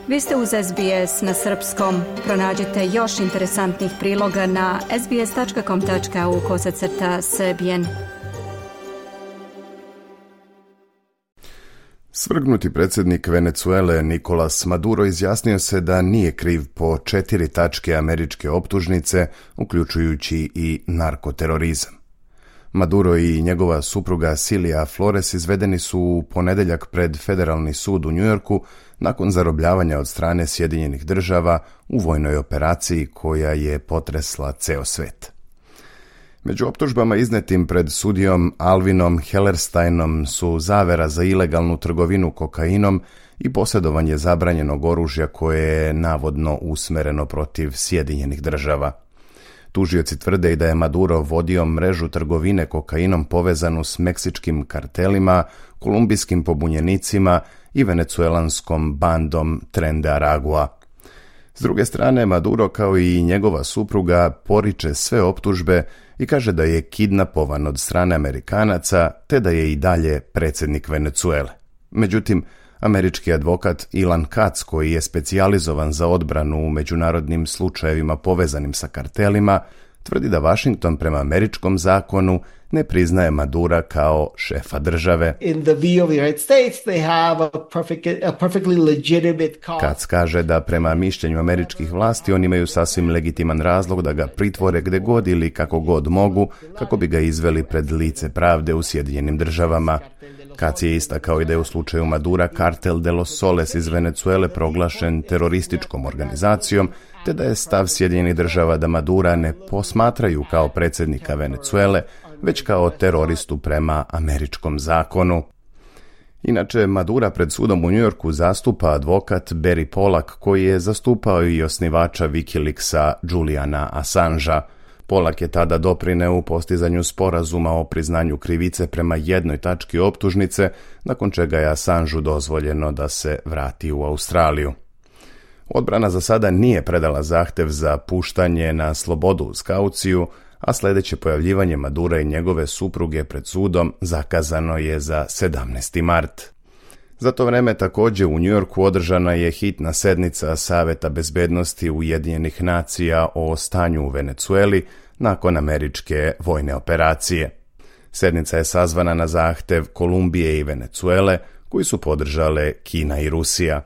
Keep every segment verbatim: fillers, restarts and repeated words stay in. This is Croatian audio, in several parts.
Vi ste uz S B S na srpskom. Pronađite još interesantnih priloga na sbs.com.au kosacrta srbijen. Svrgnuti predsjednik Venezuele Nicolas Maduro izjasnio se da nije kriv po četiri tačke američke optužnice, uključujući i narkoterorizam. Maduro i njegova supruga Cilia Flores izvedeni su u ponedjeljak pred Federalni sud u Njujorku nakon zarobljavanja od strane Sjedinjenih država u vojnoj operaciji koja je potresla ceo svet. Među optužbama iznetim pred sudijom Alvinom Hellersteinom su zavera za ilegalnu trgovinu kokainom i posjedovanje zabranjenog oružja koje je navodno usmereno protiv Sjedinjenih država. Tužioci tvrde i da je Maduro vodio mrežu trgovine kokainom povezanu s meksičkim kartelima, kolumbijskim pobunjenicima i venecuelanskom bandom Tren de Aragua. S druge strane, Maduro kao i njegova supruga poriče sve optužbe i kaže da je kidnapovan od strane Amerikanaca te da je i dalje predsjednik Venecuele. Međutim, američki advokat Ilan Katz, koji je specijalizovan za odbranu u međunarodnim slučajevima povezanim sa kartelima, tvrdi da Washington prema američkom zakonu ne priznaje Madura kao šefa države. Katz kaže da prema mišljenju američkih vlasti oni imaju sasvim legitiman razlog da ga pritvore gde god ili kako god mogu, kako bi ga izveli pred lice pravde u Sjedinjenim državama. Katz je istakao i da je u slučaju Madura Kartel de los Soles iz Venezuele proglašen terorističkom organizacijom, te da je stav Sjedinjenih država da Madura ne posmatraju kao predsjednika Venezuele, već kao teroristu prema američkom zakonu. Inače, Madura pred sudom u Njujorku zastupa advokat Barry Pollack, koji je zastupao i osnivača Wikileaksa Juliana Assangea. Pollack je tada doprineo u postizanju sporazuma o priznanju krivice prema jednoj tački optužnice, nakon čega je Assangeu dozvoljeno da se vrati u Australiju. Odbrana za sada nije predala zahtev za puštanje na slobodu uz kauciju, a sljedeće pojavljivanje Madura i njegove supruge pred sudom zakazano je za sedamnaesti mart. Za to vreme također u Njujorku održana je hitna sednica Saveta bezbednosti Ujedinjenih nacija o stanju u Venecueli nakon američke vojne operacije. Sednica je sazvana na zahtev Kolumbije i Venecuele, koji su podržale Kina i Rusija.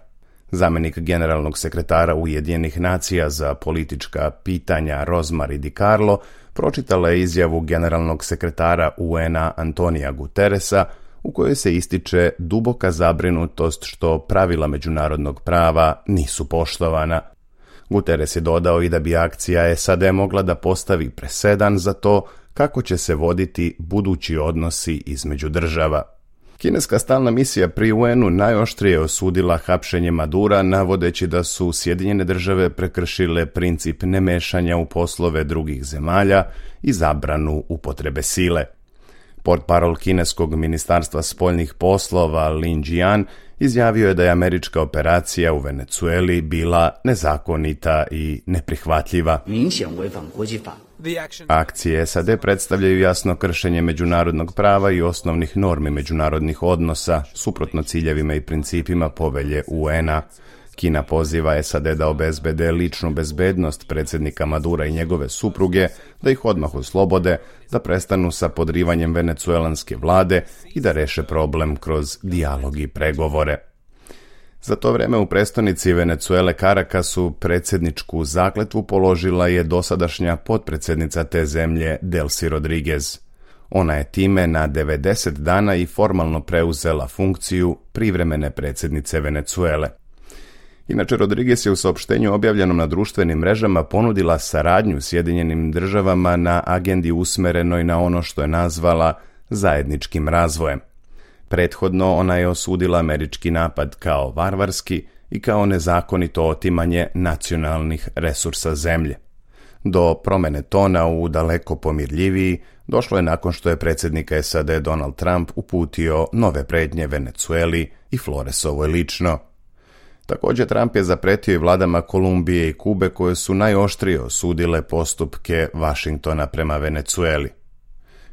Zamjenik generalnog sekretara Ujedinjenih nacija za politička pitanja Rosemary DiCarlo pročitala je izjavu generalnog sekretara U N-a Antonija Guterresa, u kojoj se ističe duboka zabrinutost što pravila međunarodnog prava nisu poštovana. Guterres je dodao i da bi akcija S A D mogla da postavi presedan za to kako će se voditi budući odnosi između država. Kineska stalna misija pri U N-u najoštrije osudila hapšenje Madura, navodeći da su Sjedinjene države prekršile princip nemešanja u poslove drugih zemalja i zabranu upotrebe sile. Portparol kineskog ministarstva spoljnih poslova Lin Jian izjavio je da je američka operacija u Venecueli bila nezakonita i neprihvatljiva. Akcije S A D predstavljaju jasno kršenje međunarodnog prava i osnovnih normi međunarodnih odnosa, suprotno ciljevima i principima povelje U N-a. Kina poziva S A D da obezbede ličnu bezbednost predsjednika Madura i njegove supruge, da ih odmah oslobode, da prestanu sa podrivanjem venecuelanske vlade i da reše problem kroz dijalog i pregovore. Za to vreme u prestonici Venecuele Caracasu predsjedničku zakletvu položila je dosadašnja potpredsjednica te zemlje Delcy Rodriguez. Ona je time na devedeset dana i formalno preuzela funkciju privremene predsjednice Venecuele. Inače, Rodriguez je u saopštenju objavljenom na društvenim mrežama ponudila saradnju Sjedinjenim državama na agendi usmerenoj na ono što je nazvala zajedničkim razvojem. Prethodno ona je osudila američki napad kao varvarski i kao nezakonito otimanje nacionalnih resursa zemlje. Do promjene tona u daleko pomirljiviji došlo je nakon što je predsjednik S A D Donald Trump uputio nove prijetnje Venecueli i Floresovoj lično. Također Trump je zapretio i vladama Kolumbije i Kube koje su najoštrije osudile postupke Washingtona prema Venecueli.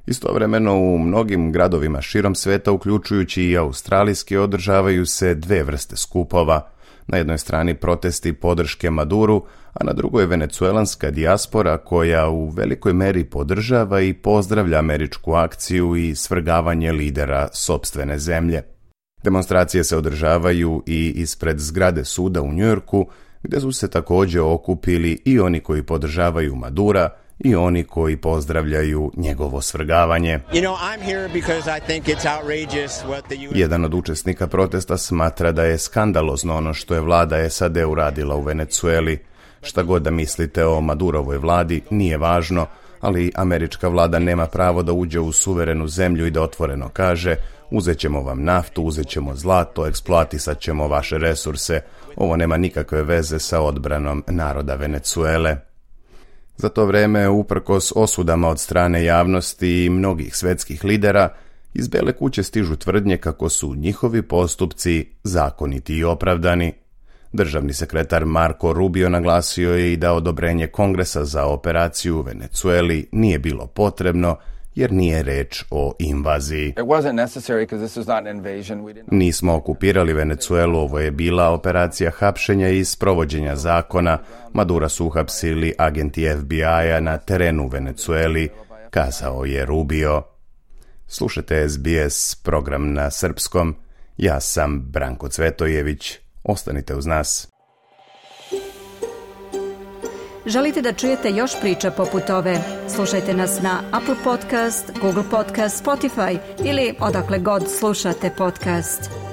Istovremeno u mnogim gradovima širom sveta, uključujući i australijski, održavaju se dve vrste skupova. Na jednoj strani protesti podrške Maduru, a na drugoj venecuelanska dijaspora koja u velikoj meri podržava i pozdravlja američku akciju i svrgavanje lidera sopstvene zemlje. Demonstracije se održavaju i ispred zgrade suda u Njujorku, gdje su se također okupili i oni koji podržavaju Madura i oni koji pozdravljaju njegovo svrgavanje. You know, I'm here because I think it's outrageous what the U S... Jedan od učesnika protesta smatra da je skandalozno ono što je vlada S A D uradila u Venecueli. Šta god da mislite o Madurovoj vladi, nije važno, ali američka vlada nema pravo da uđe u suverenu zemlju i da otvoreno kaže: uzet ćemo vam naftu, uzet ćemo zlato, eksploatisat ćemo vaše resurse. Ovo nema nikakve veze sa odbranom naroda Venecuele. Za to vrijeme, uprkos osudama od strane javnosti i mnogih svjetskih lidera, iz Bele kuće stižu tvrdnje kako su njihovi postupci zakoniti i opravdani. Državni sekretar Marco Rubio naglasio je i da odobrenje Kongresa za operaciju u Venecueli nije bilo potrebno, jer nije reč o invaziji. Nismo okupirali Venecuelu, ovo je bila operacija hapšenja i sprovođenja zakona. Madura su uhapsili agenti F B I-a na terenu u Venecueli, kazao je Rubio. Slušajte S B S program na srpskom. Ja sam Branko Cvetojević. Ostanite uz nas. Želite da čujete još priča poput ove? Slušajte nas na Apple Podcast, Google Podcast, Spotify ili odakle god slušate podcast.